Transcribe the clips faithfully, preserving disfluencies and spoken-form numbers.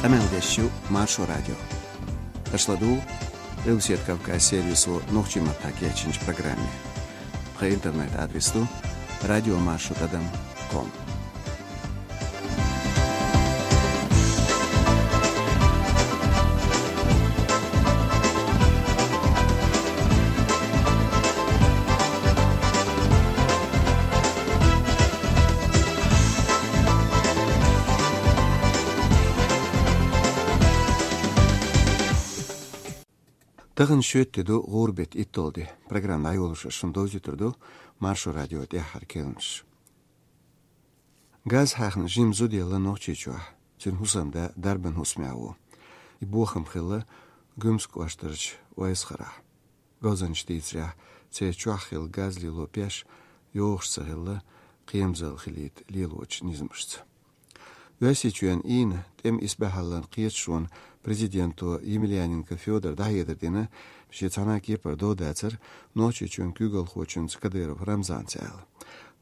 Къамел деш ю Маршо радио. Аша ладугӀу Къилбаседа Кавказ сервисо нохчийн маттахь кечйинчу программе. Тхан интернет-адрес ду радиомаршо тӀадам ком. Тахана шоьтан де ду, гӀуран беттан итталгӀа де. Программа дӀайолош шуна довзуьйтур ду Маршо радион тӀаьххьара керланаш. Газа хьаьхна жима зуда елла Нохчийчохь, цуьнан хӀусамда дарбан хӀусамехь ву. И бохам хилла Гуьмсан кӀоштарчу Ойсхарахь. Говзанчаша дийцарехь, церан чохь хилла газ лело пеш йогӀуш ца хилла, кхерамзалла хилийта лелочу низамашца. Оьрсийчоьнан Ӏийна тӀеман исбаьхьаллин кхеташонан президенто Емельяненко Фёдора дӀахьедар дина, шен цхьана а кепара дов дацара Нохчийчоьнан куьйгалхочуьнца Кадыров Рамзанца аьлла.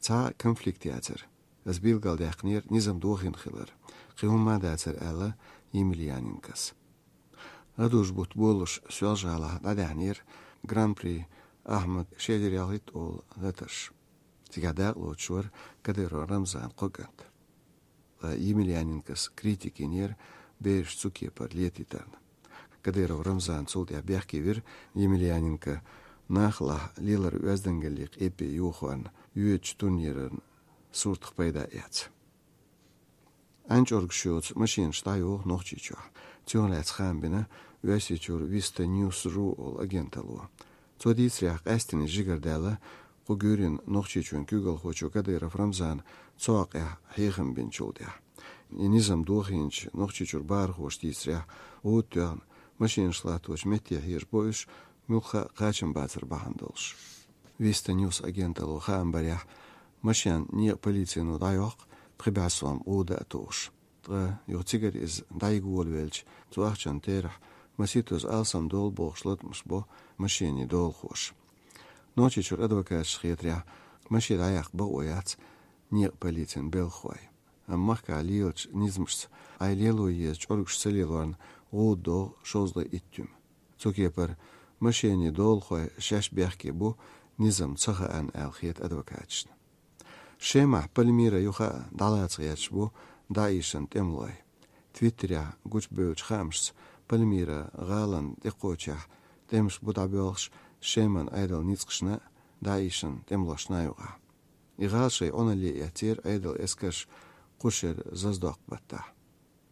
Цхьа а конфликт яцара. Ас билгалдаьккхинера низам дохийна хилар. Кхин хӀумма а дацара, аьлла Емельяненкос. ГӀадужу бутт болалуш Соьлжа-ГӀалахь дӀадаьхьнера Гран-при Ахьмад ши эзар ялхитта олу латарш. Цигахь дакъалоцуш вара Кадыров Рамзанан кхо кӀант. Ткъа Емельяненкос критика йинера бераш цу кепара летийтарна. Кадыров Рамзан цул тӀаьхьа бехке вира Емельяненко нахалахь леларан оьздангаллин къепе йохорна йоьдучу турниран суртах пайда эцна. Ӏаьнан чӀоргаш йоцу машенаш дӀайоху Нохчийчохь. Цунах лаьцна хаам бина Оьрсийчуьра Виста Ньюс Ру олу агенталло. Цо дийцарехь, къаьсттина жигара даьлла кху гуьйренна Нохчийчоьнан куьйгалхочо Кадыров Рамзана цу хьокъехь хьехам бинчул тӀаьхьа. И низам дохийначу Нохчийчуьра бахархоша дийцарехь, гӀуда тоьхна машенаш латточу метте хьежабо уьш, муьлхха а кхачам бацар бахьана долуш. Виста Ньюс агенталло хаам барехь, машен некъан полицино дӀайоккху, пхи бӀе сом гӀуда а тухуш. Ткъа юха цигара иза дӀайига волавелча, цу ахчанан терахь масийттазза алсамдолу бохуш латамаш бо машенийн долахоша. Нохчийчуьра адвокаташна хетарехь, машен дӀаяккха бакъо яц некъан полицин белхахойн. Амма махкахь лелачу низамашца, Ӏай лело еза чӀоргаш ца лелорна гӀуда догӀу шовзткъе итт туьма. Цу кепара машенийн долахой шаьш бехке бу, низам ца хаьа аьлла хета адвокаташна. Шемахь Пальмира юха а дӀалаца гӀерташ бу ДАИШан тӀемалой. Твиттерехь гучубевллачу хаамашца, Пальмира гӀалина тӀекхочехь тӀемаш бу дӀабоьлхуш Шеман Ӏедалан ницкъашна а, ДАИШан тӀемалошна а юкъахь. И гӀала шайн Ӏуналле эцнера Ӏедалан эскарша кху шеран зазадоккху баттахь.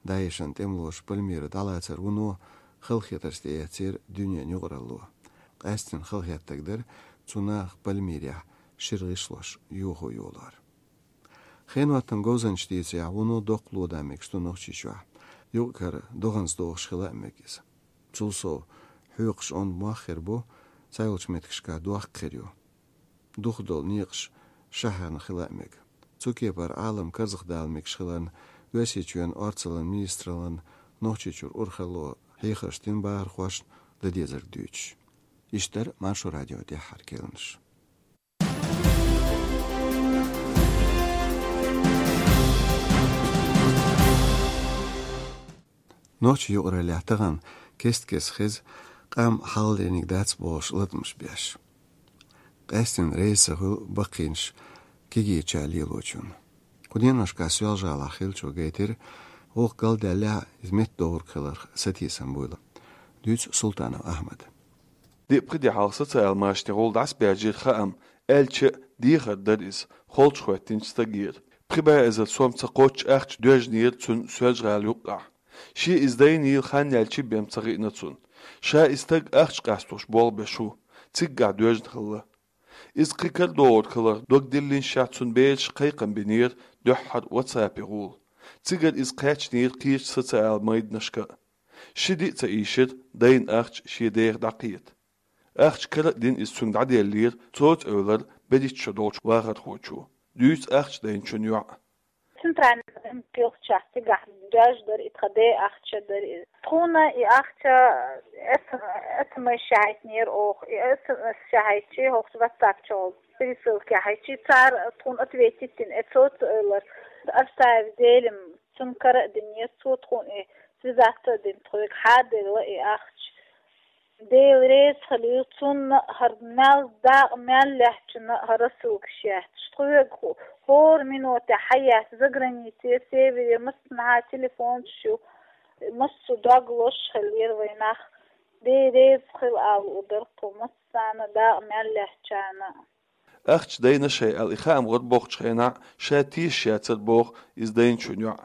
ДАИШан тӀемалоша Пальмира дӀалацар вуно халахетарца тӀеэцнера дуьненан юкъаралло. Къаьсттина халахетарг дара цу наха Пальмирехь шира гӀишлош йохо йолор. Хенан хӀоттам говзанчаша дийцарехь, вуно доккха ло дан мегаш ду Нохчийчохь. Юкъ-кара догӀанца догӀуш хила а мега иза. Цул сов, хьоькхуш онда мох хир бу, цхьайолчу меттигашкахь дохк хир ю. Духадолу некъаш шахьарна хила а мега. Цу кепара Ӏалам карзахдала мегаш хиларна, Оьрсийчоьнан орцаллин министраллин Нохчийчуьра урхалло хьехарш дина бахархошна дан дезарг дуьйцуш. Иштта дара Маршо радион тӀаьххьара керланаш. Нохчийн юкъараллехь тахана кест-кеста хеза къам хьалхалерниг дац бохуш латамаш беш. Къаьсттина реза ца хуьлу баккхийнаш кегийрачара лелочунна. Кху деношкахь Соьлжа-ГӀалахь хиллачо гайтира, гӀуллакх галдаьллехь а, иза меттадовриг хиларх сатийсам буйла. Дуьйцу Султанов Ахьмада. Диъ-пхи де хьалха социал-машанехь гӀуллакх дӀасабаьржира хаам, аьлча а дехар дара иза, холчахӀоьттинчу стагера. Пхи бӀе эзар сом ца кхоччу ахча доьжнера цунна Соьлжа-ГӀала юккъехь. Шен иза дайнийла хан яьлча бен ца хиъна цунна. Ша и стаг ахча къасталуш болх беш ву, циггахь доьжна хилла. Иза кхин карадогӀург хиларх дог диллинчохь цунна бераша кхайкхам бинера дуьххьара WhatsApp-е гӀула. Цигара иза кхаьчнера кхечу социал-майданашка а. Ши де а ца ийшира дайна ахча шен деха дӀакхета. Ахча кара а дина иза цуьнга дӀаделлера, цо-ца эвлара берхӀитта шо долчу вахархочо. Дуьйцу ахча дайначун йоӀа. Центральный банк йолчохь цигахь доьжна дара и тхан ден ахча дара иза. Тхуна и ахча эс-, эс эм эс яхьийтинера оха, и эс эм эс яхьийтчи хӀокху WhatsApp чохь пересылка яхьийтчи, цара тхуна ответить дина, э, цо-ца эвлара. Оставь Делим, цунна кара а динера, цо тхуна и Иза а дина тхоьга хьаделла и ахча. Дела реза хуьлийла цунна а, хӀара мел дакъа мел лаьттачунна а хӀара рассылкаш етташ. Тхоьга хӀо-, хӀора миноте хьаетта заграницера, севере массанхьа телефонаш ю, массо дог лозуш хиллера вай нах. Дела реза хуьлда ала луш дара тхо массарна, дакъа мел лаьттачарна а. Ахча дайна шоай аьлла и хаам гӀорбохкачу хенахь ша тешаш яцара боху иза дайначун йоӀ.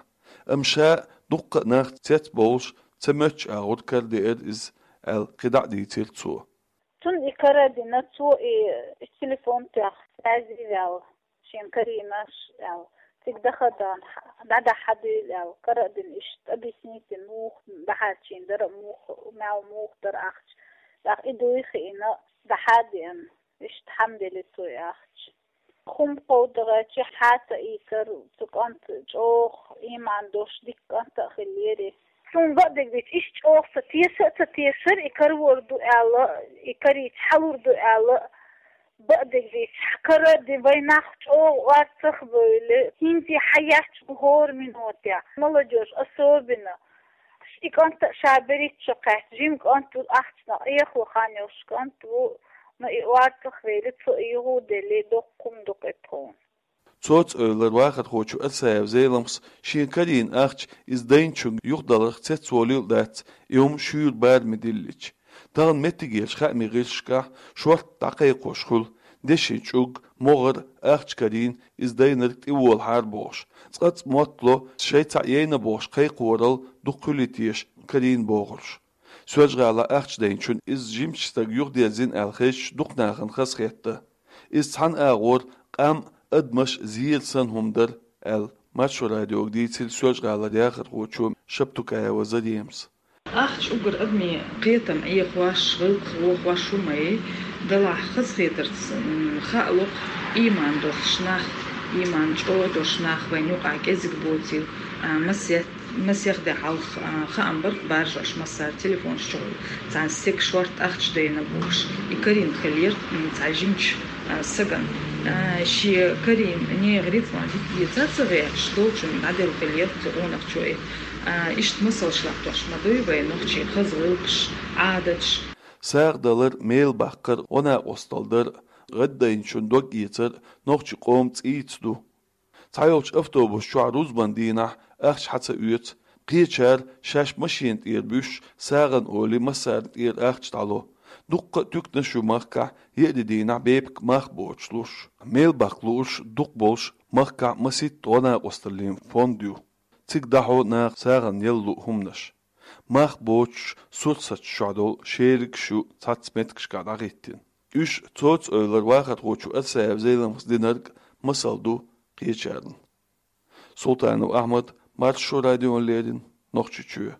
Амма ша дуккха а нах цецбовлуш ца моьттуш агӀор карадеара иза, аьлла, кхидӀа а дийцира цо. Цунна и карадина, цо и телефон тоьхна, связи ваьлла, шен карийнаш аьлла. Цига даха а дахьа, дӀадахьа а дуьйла аьлла, карадина иштта объяснить дина, муха дӀахьарчийна дара, муха, мел муха дара ахча. ТӀаккха и дуй хиъна, дӀахьа а деана. Иштта хьаделира цо и ахча. Хьума кховдагӀа чехьа хьа ца ийцар, цу кӀанта чӀогӀа ийман долуш дика кӀант а хиллера. Цунна бакъдерг дийцича, иштта чӀогӀа ца теша а ца тешара, и карор ду аьлла, и карийча хьалур ду аьлла, бакъдерг дийцича, каради вай нах чӀогӀа орцах а бевлла, хӀинца хьаетташ бу хӀора миноте, молодёжь особенно. И кӀант а ша берриг а ца кхетта, жима кӀант ву, ахчанах Ӏехо хан йолуш кӀант ву, но и орцах а вевлла, цо и юха а делла, доккха хӀума ду-кх и тхуна. Цоцу-Эвлара вахархочо Арсаев Зеламхас шена карийна ахча иза дайначуьнга юхадаларх цецволийла а дац, и хӀума шуьйра бараме диллича. Тахана меттигерчу хаамийн гӀирсашкахь шортта дӀакхайкхош хуьлу, дешин чӀуг, могӀар, ахча карийна иза дайнарг тӀеволахьара бохуш, цкъацкъа мотт ло, шайн цхьаъ яйна бохуш кхайкхорал дукха хуьлий теша карийна бохурш. Соьлжа-ГӀалахь ахча дайначунна иза жимачу стага юхадерзийна аьлла хезча, дукха нахана хазахетта. Иза цхьана агӀор къам а, адамаш а зер санна хӀума дара, аьлла, Маршо радиога дийцира Соьлжа-ГӀалара яхархочо Шаптукаева Заремас. Ахча уггар адамийн кхетам Ӏехош, гӀиллакхах вохош хӀума ю, делахь хазахетарца, м, хаало-кх, ийман долуш нах, ийман чӀогӀа долуш нах вайна юкъахь кӀезиг боцийла, а, масех, масех де хьалха, а, хаам бара-кх баржош массара телефонаш чухула. Царна стеган шортта ахча дайна бохуш, и карийна хиллера, м, цхьа жимачу, а, стагана. А, шен карийна нехан рицкъ ма дика деза ца гӀерташ, долчунна дӀаделла хиллера цу къонахчо и. А, иштта масалш латтош ма дуй вай нохчийн хаза гӀиллакхаш, Ӏадаташ. СагӀа далар, мел баккхар, гӀо-накъосталла дар, гӀаддайначун дог эцар нохчийн къоман цӀийца ду. Цхьайолчу автобус чохь рузбан дийнахь ахча хьа ца оьцу, кхечара шаьш машена тӀера буьссуш, сагӀана олий массарна тӀера ахча дӀало. Дуккха а туьканаш ю махкахь, еарин дийнахь бепиг мах боцуш луш. Мел баккха лууш дукха болуш махкахь масийтта гӀо-накъосталлин фонд ю. Цига дӀахьо наха сагӀана яла луъу хӀуманаш. Мах боцуш сурсаташ чохь долу шеригаш ю цхьацца меттигашкахь дӀахӀиттина. Уьш Цоцу-Эвлара вахархочо Арсаев Зеламхас динарг масал ду кхечарна. Султанов Ахьмад, Маршо радиона леррина, Нохчийчоь.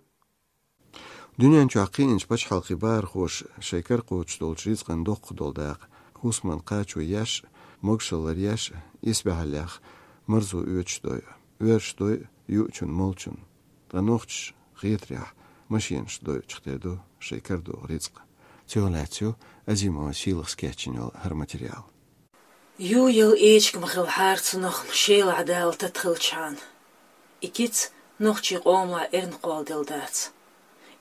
Дуьнен чохь кхиъначу пачхьалкхийн бахархоша шайн кара кхочуш долчу рицкъан доккха долу дакъа хӀусамна кхачо еш а, могашаллара еш а, исбаьхьаллех марзо оьцуш дойу, оьрсаша дойу юучунна, молчунна. Ткъа нохчаша хетарехь машенашца дойучух тера ду шайн карадогӀу рицкъ. Цунах лаьцна ю Азимова Сийлахьас кечйина йолу хӀара материал. Ю яла эчиг ма хилла хьарца нах Шелахь Дала тата хилчхьана. И кица нохчийн къомалахь эрна кхолладелла дац.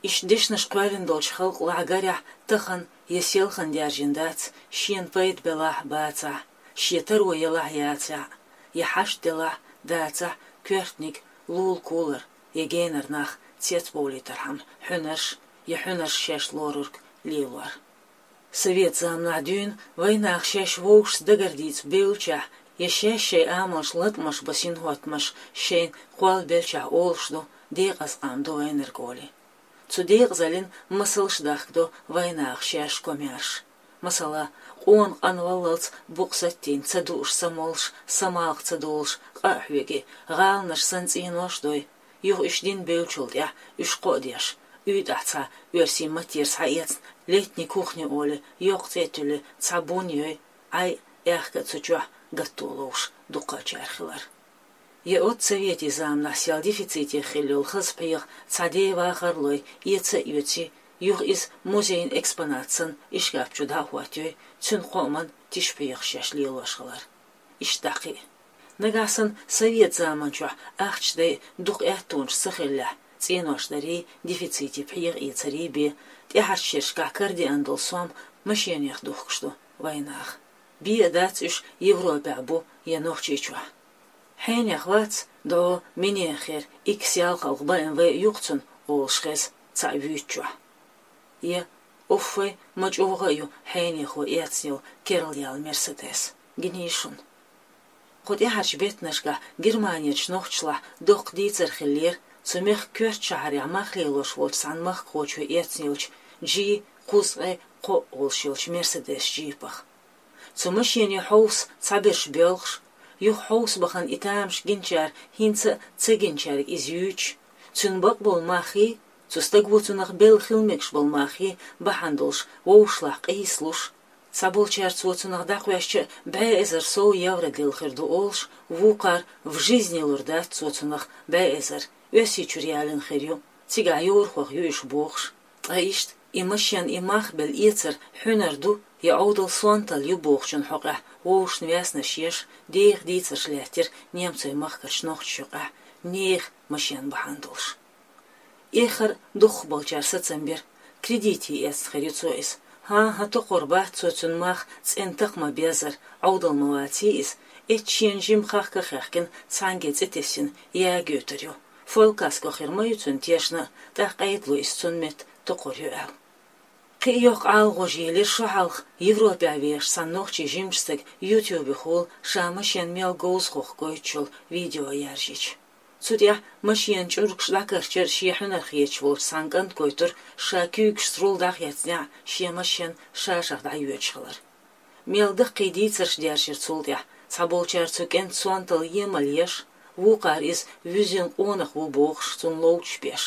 Иштта дешнаш кхоьллина долчу халкъалахь гарехь тахана я селхана даьржина дац, шена пайда белахь а, бацахь а, шен таро елахь а, яцахь а, я хьашт делахь а, дацахь а, коьртаниг, лулахь кулара, я генара нах цецбовлийтархьама хьуьнарш, я хьуьнарш шаьш лорург лелор. Совет заманахь дуьйна вайнаха шаьш вовшашца дагардийца бевллачохь, я шаьш шайн амалш латкъамаш бан синхӀоттамаш шайна кхоллабеллачохь олуш ду, декъаза къам ду вайнарг олий. Цу декъазаллин масалш дахкадо вайнаха шаьш комаьрша. Масала, къона къанваллалц букъ саттийна ца дууш, ца молуш, самалха ца долуш, къа а хьоьгий, гӀаланаш санна цӀенош а дой, юха уьш дина бевллачул тӀаьхьа уьш кхоа деш, уьйтӀахь цхьа оьрсийн маттера схьаэцна летний кухня олий, йоккха цӀе а туьллий, цхьа бун йой, Ӏай а, аьхка а цу чохь гатто ловш дукхачара хилар. Я оццу советийн заманахь сел дефицитехь хилла йолу хаза пхьегӀа цхьа ден вахар а лой, эца а оьций, юха иза музейн экспонат санна ишкаф чу дӀа а хӀоттайой, цуьнан кхоаман тиша пхьегӀаш шаьш лелош хилар. Иштта дӀа кхин а. Нагахь санна совет заман чохь ахча дай дукха аьттонаш ца хиллехь, ЦӀенош дарий, дефиците пхьегӀа эцарий бе, тӀаьхьарчу шерашкахь карадеана долу сом машенех духкуш ду вайнах. Бе а дац уьш Европехь бу я Нохчийчохь. Хьенех вац, дӀо, минех хир, икс ялхалгӀа Б М В юкъа цунна, олуш хеза цхьаъ вуьйцучохь. Я, уффай, ма чӀогӀа а ю хьенехо эцна йолу керла яьлла Мерседес. Гиний шуна. Кху тӀаьхьарчу беттанашкахь Германерчу нохчашлахь доккха дийцар хиллера, цу мехкан коьртачу шахьарехь мах лелош волчу цхьана махкахочо эцна йолчу G кхузткъе кхоъ олуш йолчу Мерседес джипах. Цу машене хьовса цхьаберш боьлхуш, юха хьовса бахана и тамаш гинчара хӀинца а ца гинчаьрга иза юьйцуш, цуьнан бакъболу маххий, цу стаго цунах белла хила мегаш болу маххий бахьана долуш вовшашлахь къийсалуш, цхьаболчара цо цунах дӀакхоьссича бӀе эзар сов евро делла хир ду олуш, вукхара в жизни лур дац цо цунах бӀе эзар, Оьрсийчуьра ялийна хир ю, цигахь йорахох ю уьш бохуш. Ткъа иштта и машен, и мах белла эцар хьуьнар ду я Ӏовдал сонталла ю бохучун хьокъехь вовшашна ваьснаш еш, деха дийцарш лаьттира немцойн махкарчу нохчашна юкъахь нехан машен бахьана долуш. Эххар дукхахболчара сацам бира, кредите эцна хир ю цо иза. ХӀан-хӀа, токхур бац цо цуьнан мах цӀена такха ма-беззара, Ӏовдал ма ваций иза, эццахь шена жимма хахка а хаьхкина, цхьаьнгге цӀе тесна яга йоьтур ю. Фолькаско хир ма ю цуьнан тешна, тӀаккха къайдало иза цунна метта токхур ю аьлла. Кхин а йоккха Ӏалагӏожа елира шо хьалха Европехь вехаш цхьана нохчийн жимачу стага ютубехула ша машен мел говза хохку гойтуш йолу видео яржийча. Цу тӀехь машенан чӀургаш дӀакарчар шен хьуьнар хеташ волчу цхьана кӀанта гойтура, ша куьйгашца руль дӀахецнехь шен машен ша-шах дӀайоьдуш хилар. Мел даккхий дийцарш дершира цул тӀаьхьа, цхьаболчара цу кӀентан сонталла емал еш, вукхара иза вуьззина къонах ву бохуш, цунна ловчаш беш.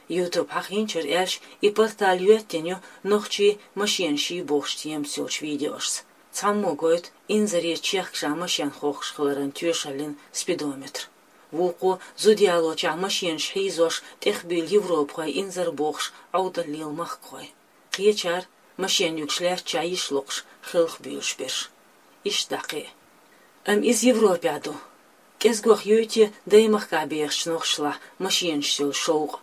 Ютуб хьахийначара аьлча, и портал йоьттина ю нохчий машенаш йий бохучу темаца йолчу видеошца. Цхьаммо гойту инзаре чехка ша машен хохкуш хиларан тоьшаллин спидометр. Вукхо зуда ялочохь машенаш хьийзош тӀехбуьйлу европахой инзар бохуш Ӏовдал лела махкахой. Кхечара машен юьгуш лаьттачохь йиш локхуш хелхабуьйлуш берш. Иштта дӀа кхин а. Амма иза Европехь ду. КӀезгох юй те даймахкахь бехачу нохчашлахь машенаш йолу шовкъ.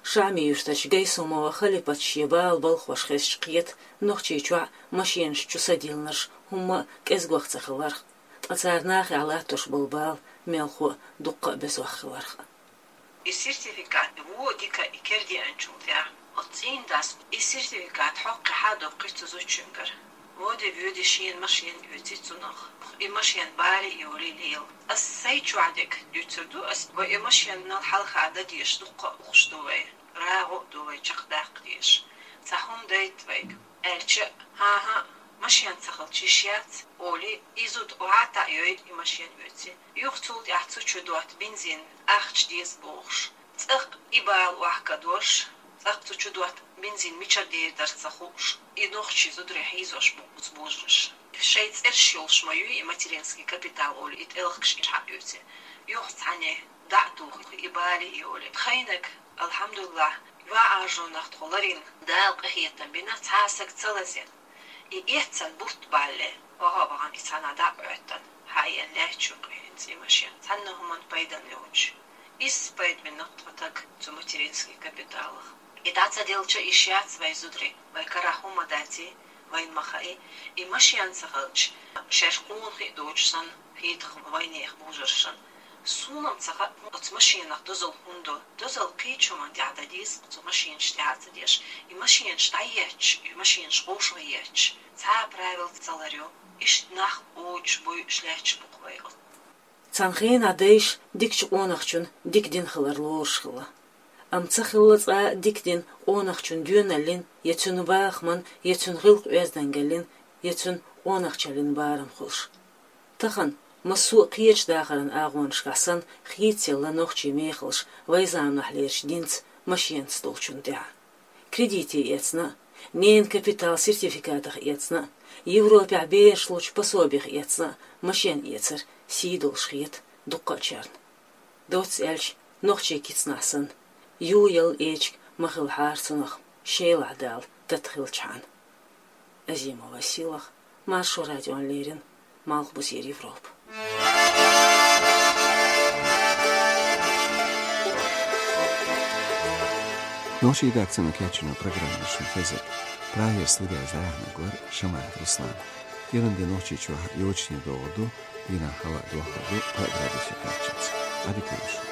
Шамаев-Юьртарчу Гайсумова Халипата шен бала балхош хезча кхета, Нохчийчохь машенаш чу садиллинарш хӀумма а кӀезгох ца хиларх, ткъа цара нахехь латтош болу бала мелхо а дуккха а безох хиларх. И сертификат вон дика и кердеанчул тӀаьхьа, оцу цӀийнан дас и сертификат хьокху хьадоккхуьйту цу зудчуьнгара. Воде-воьде шена машен оьций цунах. И машен бале а йолий лела. Ас сайн чохь дерг дуьйцур ду ас, вай и машенал хьалха дан дезаш дуккха а ухуш ду вай. РагӀу а ду вай чекхдаккха дезаш. Цхьа хӀума дайта вайга. Аьлча, хӀан-хӀа, машен ца хилча йиш яц, олий, и зуда охьа а таӀайой, и машен оьций. Юха цул тӀаьхьа цу чу дотта бензин ахча деза бохуш. ЦӀаккха и бала охьакадош, цӀаккха цу чу дотта бензин мичара дер дара ца хууш, и нохчий зударий хьийзош бу оцу божарша. Шайн цӀераш йолуш ма ю и материнский капитал олий, и тӀелхигаш и хьаоьций. Юха цхьаьна дӀа а тухий, и бале а йолий. Тхайниг, алхьамдулиллахь, ван Ӏаржонах тхо ларийна, Дала къинхетам бина, цхьа а саг ца лазийна. И эццан бутт балле, ваха а вахана и цхьанхьа дӀа а Ӏоьттина, хьаена лаьтташ ю кхин хӀинца и машен, цхьанна хӀуманна пайдана йоцуш. Изза пайда бина тхо таг цу материнский капиталах. И дӀа ца делча йиш яц вай зударий, вай карахь хӀума даций, вайна ма хаьий, и машен ца хилча, шаьш къонахий а доцуш санна, хетахь вайнехан божаршна. Суна-м ца хаьа, оцу машенах дозалла хӀунда до. Дозалла кхечу хӀуманна тӀехь дан деза, оцу машенаш тӀехь а ца деш. И машенаш дӀаетташ, и машенаш къовшагӀа етташ, цхьа а правил ца ларъю. Иштта нах оцуш буй, шлаьтташ бу-кх вай оцу. Цхьана хенахь дайша дикачу къонахчун дика дин хилар лоруш хилла. Амма ца хилла цкъа а дика дин къонахчун доьналлин, я цуьнан бахаман, я цуьнан гӀиллакх-оьздангаллин, я цуьнан къонахчаллин барам хуьлуш. Тахана, массо а кхечу дахаран агӀонашкахь санна, хийцаелла нохчийн мехаллаш вайн заманахьлерчу динца, машенаца долчунна тӀехь. Кредите эцна а, ненан капитал сертификатах эцна а, Европехь бераш лучу пособиех эцна а машен эцар сий долуш хета дуккхачарна. Доцца аьлча, нохчийн кицнахь санна, юй ялла эчиг ма хилахьара цунах, Шелахь Дала тата хилчхьана. Азимова Сийлаха, Маршо радиона леррина, Малхбузера Европа. Нохчийн редакцино кечйина программа шун хезар. Прагера студера зӀамига вар Шамаев Руслан. КӀиранди Нохчийчохь йочане догӀур ду, дийнахь хӀаваъ дохлур ду, пхиъ градусе кхаччалц. Ӏадика йойла шун.